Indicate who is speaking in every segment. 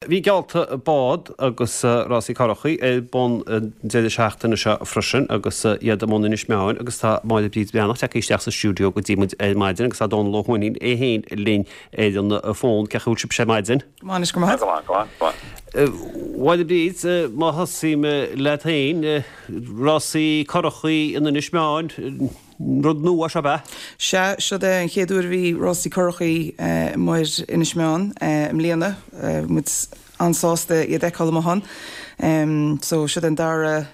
Speaker 1: Bhí geallta bád agus rásaí curachaí ar bun an deireadh seachtaine seo freisin agus iad i mbun Inis Meáin agus tá Máire Bríd Bhreathnach tagtha isteach sa stiúideo go dtí muid ar maidin agus tá Dónal Ó hUaithnín é féin linn ar an bhfón. Cén chaoi a bhfuil sibhse ar maidin?
Speaker 2: Go maith anois, go maith. Go maith, go maith, go
Speaker 1: maith. Mháire Bríd, má thosaím leat féin, rásaí curachaí in Inis Meáin, Rud nua seo, ab ea?
Speaker 2: Sea, seod é an chéad uair a bhí rásaí curachaí amuigh ar Inis Meáin i mbliana. Bhí muid an-sásta iad a fheiceáil amuigh ann. So, seod é an dara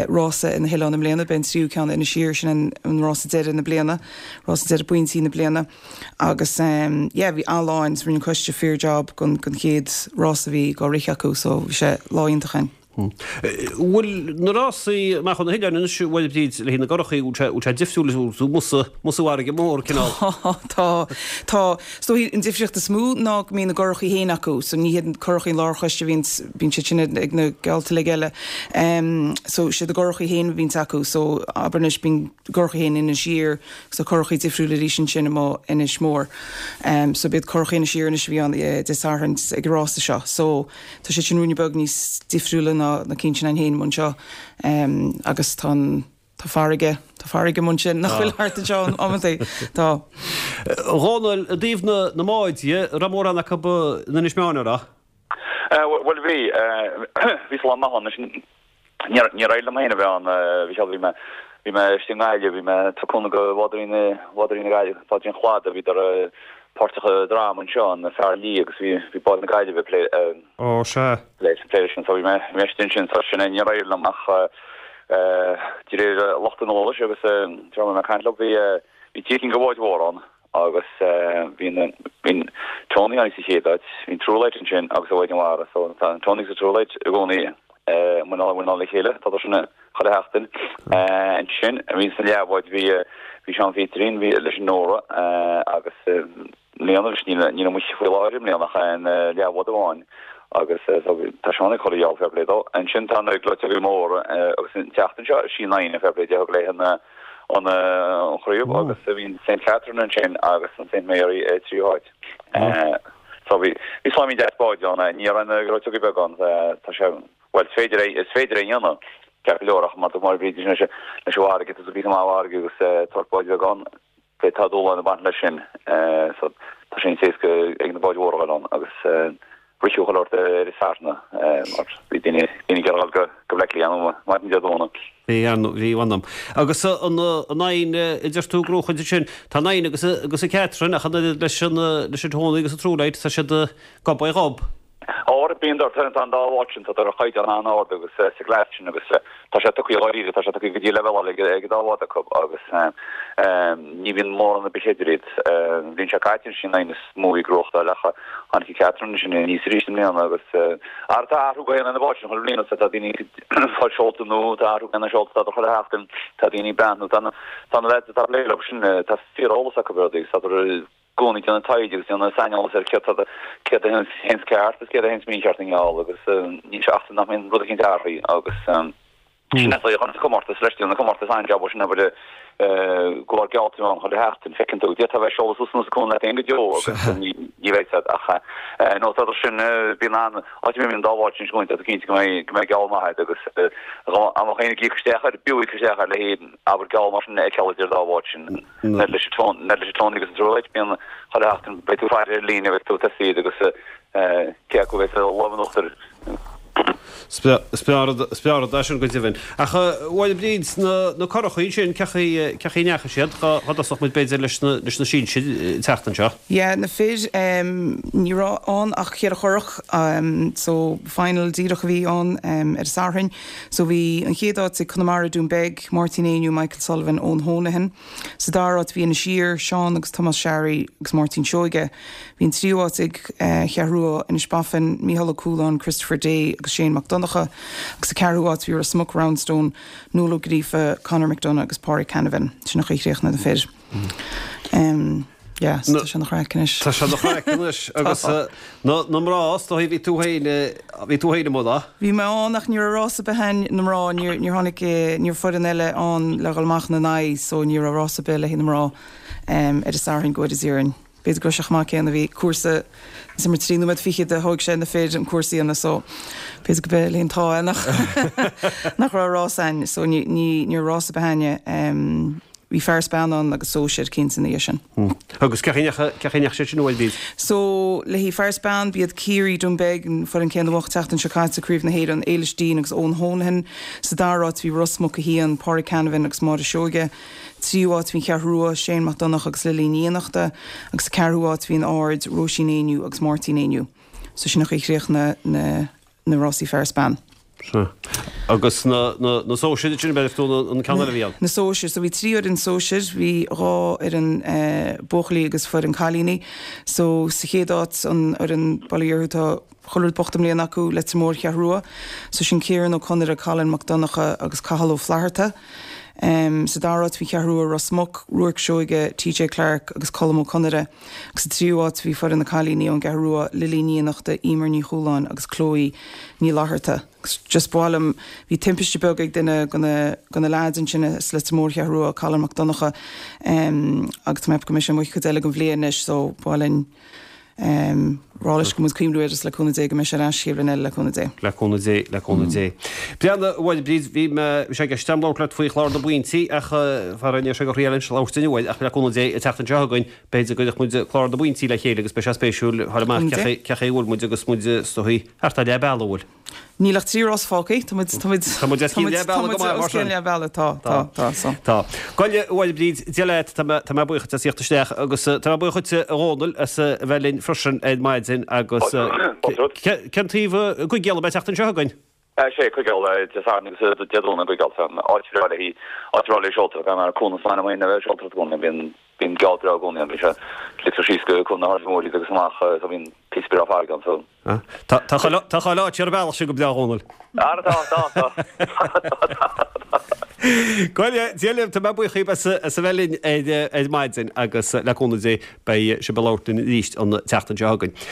Speaker 2: rása ar na hoileáin i mbliana. Beidh an tríú ceann i Inis Oírr, sin an rása deiridh na bliana, rása deiridh pointí na bliana. Agus yeah, bhí an-lá ann, rinne an coiste fíor job don chéad rása a bhí dhá rith acu, so bhí sé lá iontach ann.
Speaker 1: Bhfuil na rásaí amach ó na hoileáin anois, a Mháire Bríd, le haghaidh na gcurachaí, bhfuil sé, bhfuil sé difriúil, bhfuil tú amuigh sa, amuigh sa bhfarraige mhór, cineál?
Speaker 2: Tá, tá, tá. Is dóigh an difríocht is mó ná go mbíonn a gcurachaí féin acu, so ní hiad curachaí an lárchoiste a bhíonns, bíonn siad sin ag na geallta uilig eile. So siad a gcurachaí féin a bhíonns acu, so abair anois bíonn gcurachaí féin in Inis Oírr, agus tá curachaí difriúil arís ansin amuigh Inis Mór. So b'iad curachaí Inis Oírr anois a bhí ann Dé Sathairn ag an rása seo, so. Tá siad sin ruainne beag níos difriúla ná na cinn sin againn féin amuigh anseo agus tá an, tá farraige, tá farraige amuigh ansin nach bhfuil thart anseo amantaí. Tá.
Speaker 1: A Dhónaill, i dtaobh na, na mbád dhe, raibh mórán acu in Inis Meáin, an raibh?
Speaker 3: Bhuel bhí, bhí slám maith ann anois. Níor éirigh liom féin a bheith ann, a Mhichíl, bhí mé, bhí mé istigh i nGaillimh, bhí mé ag tabhairt cúnamh do bhádóirí na, bádóirí na Gaillimhe, bádóirí an Chladaigh, bhíodar páirteach i dráma anseo, An Fear Liath, agus bhí, bhí bád na Gaillimhe ag plé,
Speaker 1: Ó, sea.
Speaker 3: plé, plé leis sin, so bhí mé, bhí mé istigh ansin, so sin é, níor éirigh liom ach de réir lucht an eolais agus de réir mar a bhí mé ag caint leo, bhí, bhí trí cinn de bháid mhóra ann. Agus bhí na, bhí Tony ann sa chéad áit, bhí an Truelight ansin agus an Mhaighdean Mhara, so tá an Tony agus an Truelight i gcónaí i muineál a chéile, tá sin chuile sheachtain. Ansin, bhí sna leathbháid, bhí, bhí Seán Phíterín, bhí leis an Nóra agus i mbliana, leis, níl, níl amuigh faoi láthair i mbliana ach aon leathbhád amháin agus so tá Seán ag cur a gheall fair play dó. Ansin tá na Gleoiteogaí Móra agus an tseachtain seo, sí an Fhoighne fair play di a thug léi an, an chraobh agus bhí an Saint Catherine ansin agus an Saint Mary i dtríú háit. So bhí bhí sláimín deas báid ann, ní raibh na gleoiteogaí beaga ann, tá sé, bhuel is féidir é, is féidir é a dhéanamh ceart go leor ach mar dúirt Máire Bríd leis an leis an bhfarraige, tá píosa maith farraige agus tabhairt báid bheag ann, beidh tá dúshláin ag baint leis sin. So tá sé níos éasca ag na báid mhóra a dhul ann agus Ritheadh chuile shórt ar an Satharn mar bhí daoine ag iarraidh dul go Bleá Cliath ar maidin Dé Domhnaigh.
Speaker 1: Bhí, ar ndóigh, bhí, mh'anam. Agus an Fhoighne a deir tú ag gnóchaint ansin, tá an Fhoighne agus agus an Catherine ach an oiread leis an leis an Tony agus an Truelight, tá siad gob ar ghob.
Speaker 3: Ó, bíonn, tá an dá bhád sin, tá ar chaighdeán an-ard agus sa gclass sin agus tá sé tugtha dháiríre, tá sé tugtha go dtí leibhéal eile ag an dá bhád acu agus ní bhíonn mórán ar bith idir iad. An bhliain seo caite sin an Fhoighne is mó a bhí ag gnóthachtáil ach tháinig an Catherine ansin aníos arís i mbliana agus ara tá athrú go haon ar na báid sin chuile bhliain agus tá daoine ag fáil seolta nua, tá athrú ar na seolta atá chuile sheachtain, tá daoine ag breathnú, tá na tá na lads atá ag plé leo sin, tá fíor-eolas acu ar rudaí agus tá i gcónaí ag déanamh taighde agus déanamh saineolas ar céard tá céard a théanns ceart agus céard a théanns mícheart i ngeall agus níl sé ach nach mbíonn rud eicínt athraithe agus Sin é an comórtas leis, déanann an comórtas an-jab sin obair go leor geallta ann chuile sheachtain, feiceann tú, d'fhéadfá a bheith ag seoladh suas anuas an cuan leat féin go deo agus ní bheidh siad ach nó tá sin bíonn an áit a mbíonn an dá bhád sin scointe, tá tú cinnte go mbeidh go mbeidh geall maith agat agus dá mbeadh éinne ag íoc isteach air, b'fhiú íoc isteach air le haghaidh abair geall mar sin a fheiceáil idir an dá bhád sin. Leis an leis an Tony agus an Truelight bíonn chuile sheachtain beidh tú ag faire ar líne beidh tú ag tosaí iad agus cé acu a bheidh sa lámh in uachtar.
Speaker 1: Is breá rud é sin go deimhin. Ach a Mháire Bríd, na curachaí ansin, cén chaoi a ndeachaigh siad? Dhá dtosódh muid b'fhéidir leis na sinsir an tseachtain seo.
Speaker 2: Yeah, na fir, ní raibh ann ach cheithre churach, so final díreach a bhí ann ar an Satharn. So bhí an chéad áit ag Conamara Dún Beag, Máirtín Éinniú, Michael Sullivan, Eoin Honohan. Sa dara áit bhí Inis Oírr, Seán agus Tomás Sharry agus Máirtín Seoige. Bhí an tríú áit ag Cheathrú Rua, Inis Bafain, Mícheál Ó Cualáin, Christopher Day agus Shane Mac Donncha agus sa ceathrú áit bhí Ros Muc, Roundstone, Noel Ó Gríofa, Conor McDonagh agus Pádraig Canavan. Sin an chaoi a chríochnaigh na fir. Yeah, so tá sé ina chraic anois.
Speaker 1: Tá sé ina chraic anois agus na mná, is dóigh, bhí tú féin, bhí tú féin amuigh lá?
Speaker 2: Bhí mé ann ach ní raibh rás ar bith a'inn na mná, níor, níor tháinig, ní raibh foireann eile ann le dhul amach ina n-aghaidh so ní raibh rás ar bith le haghaidh na mná ar an Satharn go bhfóire Dia orainn. b'fhéidir go raibh sé chomh maith céanna, bhí cúrsa is mar 3 nóiméad fichead a thóig sé na fir an cúrsa a dhéanamh so b'fhéidir go b'é an t-ádh é nach nach raibh rás a'inn so ní ní ní raibh rás ar bith a'inne. Bhí fear is bean ann agus sóisir cinnte ina dhiaidh sin.
Speaker 1: Agus cé chaoi a ndeachaigh sé sin uaidh Bríd?
Speaker 2: So le haghaidh fear is bean b'iad Ciarraí Dún Beag an foireann céanna a bhuaigh an tseachtain seo caite Craobh na hÉireann, Éilis Deane agus Eoin Honohan. Sa dara háit bhí Ros Muc 1, Pádraig Canavan agus Máire Seoige. Tríú háit bhí an Cheathrú Rua, Shane Mac Donncha agus Lily Ní Fhiannachta agus sa ceathrú háit bhí an Aird, Róisín Éinniú agus Máirtín Éinniú. So sin an chaoi a chríochnaigh na na rásaí fear is bean.
Speaker 1: Sea. Agus na na sóisir, sin b'fhéidir tú an ceann eile a bhí ann.
Speaker 2: Na sóisir, so bhí trí fhoireann sóisir, bhí dhá fhoireann buachaillí agus foireann cailíní. So sa chéad áit an fhoireann bail ó Dhia orthu tá chuile rud bocht i mbliana acu, Leitir Móir Cheathrú Rua. So sin Ciarán Ó Conaire, Colin Mac Donncha agus Cathal Ó Flatharta. Sa dara háit bhí Ceathrú Rua Ros Muc, Ruairc Seoige, TJ Clarke agus Colm Ó Conaire. Agus sa tríú háit bhí foireann na cailíní ón gCeathrú Rua, Lily Ní Fhiannachta, Emer Ní Chualáin agus Chloe Ní Fhlatharta. Agus just ba mhaith liom, bhí timpiste beag ag duine de na, de na leaids ansin as Leitir Móir Cheathrú Rua, Colin Mac Donncha, agus tá mé ag ceapadh go mbeidh sé amuigh cuid eile den bhliain anois so ba mhaith linn rá leis go bhfuil muid ag cuimhniú air agus le cúnamh Dé go mbeidh sé ar ais chéad bhliain eile le cúnamh Dé.
Speaker 1: Le cúnamh Dé, le cúnamh Dé. Breathnaigh, a Mháire Bríd, bhí mé, bhí sé i gceist agam labhairt leat faoi chlár na bpointí ach faraor ní raibh sé go thriail anois labhairt inniu ach le cúnamh Dé an tseachtain seo chugainn b'fhéidir go gcuirfeadh muid clár na bpointí le chéile agus beidh sé spéisiúil fáil amach cé chaoi a bhfuil muid agus muid is dóigh thart ar leath bealaigh an bhfuil.
Speaker 2: Níl ach trí rás fágtha. Tá muid, tá muid,
Speaker 1: Tá muid os cionn leath bealaigh go maith, mar
Speaker 2: sin. Os cionn leath bealaigh, tá, tá, tá, so.
Speaker 1: Tá. Gabhaile, a Mháire Bríd, Dia leat, tá mé, tá mé buíoch duit as theacht isteach agus tá mé buíoch dhuit, a Dhónaill, as a bheith linn freisin ar maidin agus cén taobh i gCúige Uladh an tseachtain seo chugainn?
Speaker 3: Sé, Cúige Uladh, Dé Sathairn agus Dé Domhnaigh i gCúige Uladh. Áit bhreá le haghaidh, áit bhreá le seoltóireacht, mar Cuan na Spáinne, a bheith seoltóireacht i gcónaí, bíonn, bíonn geall breá i gcónaí ann, bíonn sé, ligtear síos go Cuan na hAirde Móire agus amach, so bíonn píosa breá farraige ann, so.
Speaker 1: Tá chuile áit ar an bhealach sin go breá, a Dhónaill.
Speaker 3: Ara tá, tá, tá.
Speaker 1: Gabhaile, Dia libh, tá mé buíoch díbh as a bheith linn ar maidin agus le cúnamh Dé beidh sibh ag labhairt linn arís an tseachtain seo chugainn.